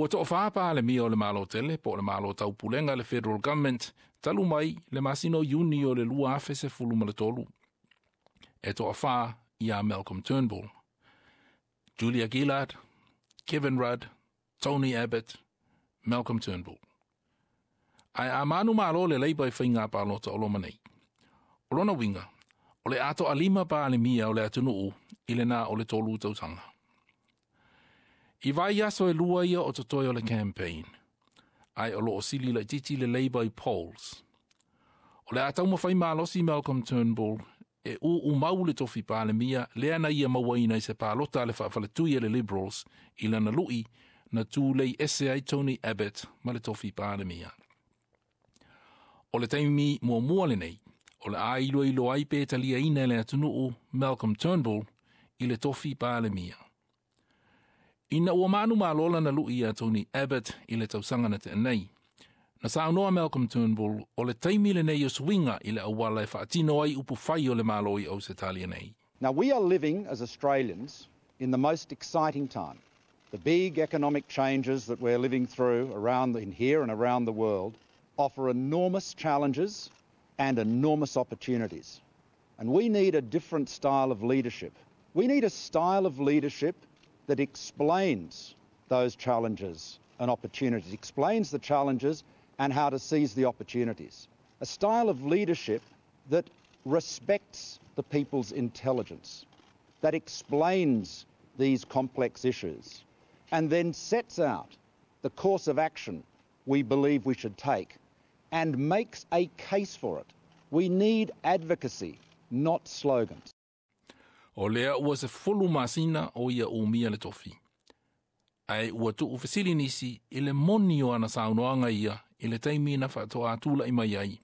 Ua toʻafā Palemia o le Malo tele po o le Malo Taupulega le Federal Government talu mai le masina o Iuni o le 2013. E toʻafā ia Malcolm Turnbull, Julia Gillard, Kevin Rudd, Tony Abbott, Malcolm Turnbull. Ae a manumalo le Labour i faiga palota o loma nei, o lona uiga, o le a toʻalima Palemia o le atunuu i lena o le 3 tausaga. I vaiaso e 2 ia o totoe o le campaign, ae o loo sili laitiiti le Labour i polls. O le a taumafai malosi Malcolm Turnbull e uumau le tofi Palemia lea na ia mauaina i se palota a le faafaletui a le Liberals i lana lui na tulei ese ai Tony Abbott ma le tofi Palemia. O le taimi muamua lenei, o le a iloilo ai pe taliaina e le atunuu Malcolm Turnbull i le tofi Palemia. Ina ua manumalo lana lui ia Tony Abbott i le tausaga na tea nei, na saunoa Malcolm Turnbull o le taimi lenei o suiga i le auala e faatino ai upufai o le Malo i Ausetalia nei. Now we are living as Australians in the most exciting time. The big economic changes that we're living through around in here and around the world offer enormous challenges and enormous opportunities. And we need a different style of leadership. We need a style of leadership that explains those challenges and opportunities, explains the challenges and how to seize the opportunities. A style of leadership that respects the people's intelligence, that explains these complex issues, and then sets out the course of action we believe we should take and makes a case for it. We need advocacy, not slogans. O lea ua 10 masina o ia umia le tofi. Ae ua tuufesili nisi i le moni o ana saunoaga ia i le taimi na faatoa mai ai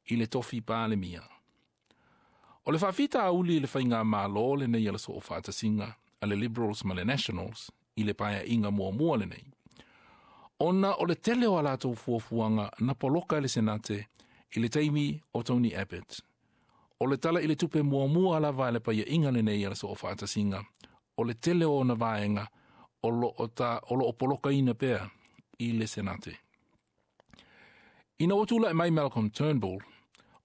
i le tofi Palemia. O le faafitauli i le faigamalo lenei a le Soofaatasiga a le Liberals ma le Nationals i le paeaiga muamua lenei, ona o le tele o a latou fuafuaga na poloka e le Senate i le taimi o Tony Abbott. O le tala i le tupe muamua lava e le paeaiga lenei a le Soofaatasiga, o le tele o ona vaega o loo polokaina pea i le Senate. Ina ua tulaʻi mai Malcolm Turnbull,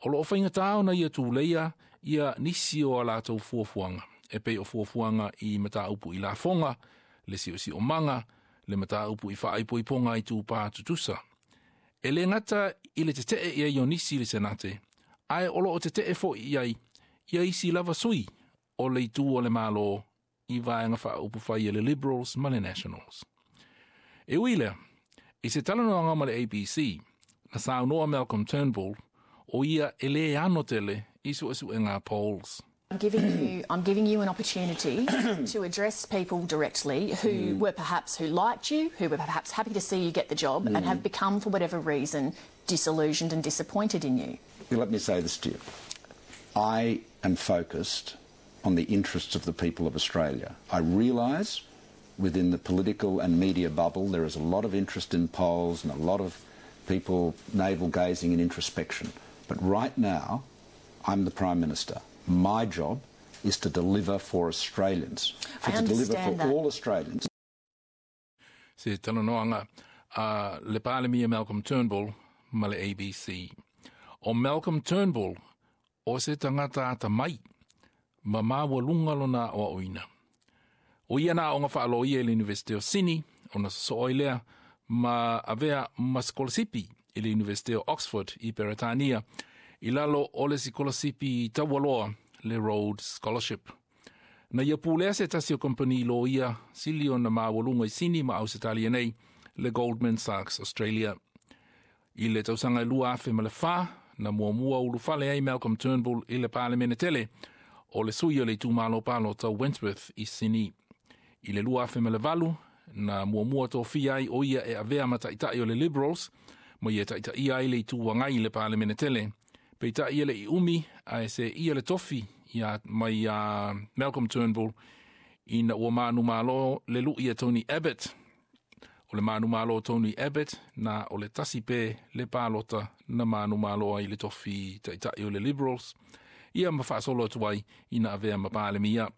o loo faigatā ona ia tuleia ia nisi o a latou fuafuaga, e pei o fuafuaga i mataupu i lafoga, le siosiomaga, le mataupu i faaipoipoga i tupā tutusa. E le gata i le tetee i ai o nisi i le Senate, ae o loo tetee foʻi i ai ia isi lava sui o le itu o le Malo i vaega faaupufai e le Liberals ma le Nationals. E ui lea, i se talanoaga ma le ABC, na saunoa Malcolm Turnbull o ia e lē ano tele i suesuega polls. I'm giving you an opportunity to address people directly who were perhaps who liked you, who were perhaps happy to see you get the job, and have become, for whatever reason, disillusioned and disappointed in you. Let me say this to you. I am focused on the interests of the people of Australia. I realise within the political and media bubble there is a lot of interest in polls and a lot of people navel gazing and introspection. But right now, I'm the Prime Minister. My job is to deliver for Australians, for I to deliver for understand that. all Australians. Se talanoaga a le Palemia Malcolm Turnbull ma le ABC. O Malcolm Turnbull o se tagata atamai ma maualuga lona aoaoina. O ia na aoga faaloia i le University o Sydney, ona sosoo ai lea ma avea ma sikolasipi i le University o Oxford i Peretania i lalo o le sikolasipi taualoa le Rhodes Scholarship. Na ia pulea se tasi o kompani loia sili ona maualuga i Sini ma Ausetalia nei, le Goldman Sachs Australia. I le tausaga e 2004, na muamua ulufale ai Malcolm Turnbull i le Palemene tele o le sui o le itumalo palota Wentworth i Sydney. I le 2008, na muamua tofia ai o ia e avea ma taitai o le Liberals, ma ia taitaia ai le Itu Agai i le Palemene tele. Peitai e le i umi ae seia le tofi ia mai a Malcolm Turnbull ina ua manumalo le lui a Tony Abbott. O le manumalo Tony Abbott na o le tasi pe le palota na manumalo ai le tofi taitai o le Liberals, ia ma faasolo atu ai ina avea ma Palemia.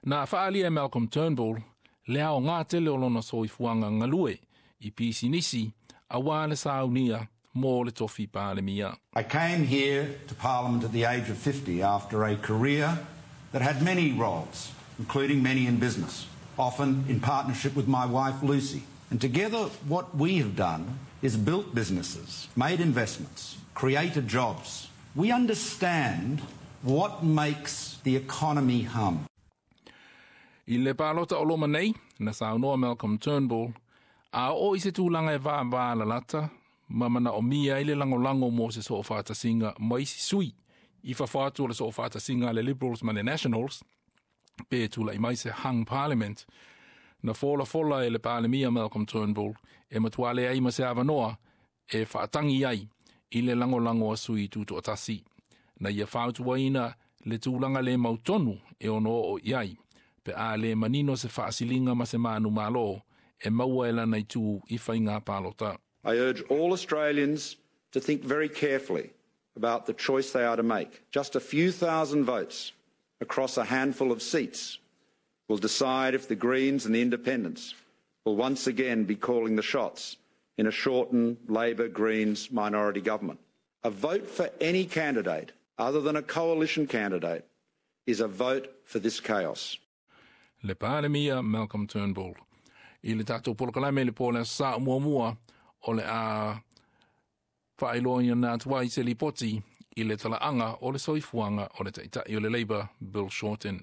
Na faaalia e Malcolm Turnbull Le aogā tele o lona soifuaga galue i pisinisi auā le saunia mo le tofi Palemia. I came here to Parliament at the age of 50 after a career that had many roles, including many in business, often in partnership with my wife Lucy. And together, what we have done is built businesses, made investments, created jobs. We understand what makes the economy hum. I le palota o loma nei, na saunoa Malcolm Turnbull, a oo i se tulaga e vāvā lalata, ma manaomia ai le lagolago mo se soofaatasiga ma isi sui i fafo atu o le soofaatasiga a le Liberals ma le Nationals, pe tula'i mai se hung parliament. Na folafola e le Palemia Malcolm Turnbull e matuā leai ma se avanoa e faatagi ai i le lagolago a sui tutoatasi. Na ia fautuaina le tulaga le mautonu e ono oo i ai, pe a le manino se faasiliga ma se manumalo e maua e lana itu i faiga palota. I urge all Australians to think very carefully about the choice they are to make. Just a few thousand votes across a handful of seats will decide if the Greens and the Independents will once again be calling the shots in a Shorten Labor Greens minority government. A vote for any candidate other than a coalition candidate is a vote for this chaos. Le Palemia Malcolm Turnbull. I le tatou polokalame le po le Aso Sa muamua o le a faailoaina atu ai se lipoti i le talaaga o le soifuaga o le Taitai o le Labour Bill Shorten.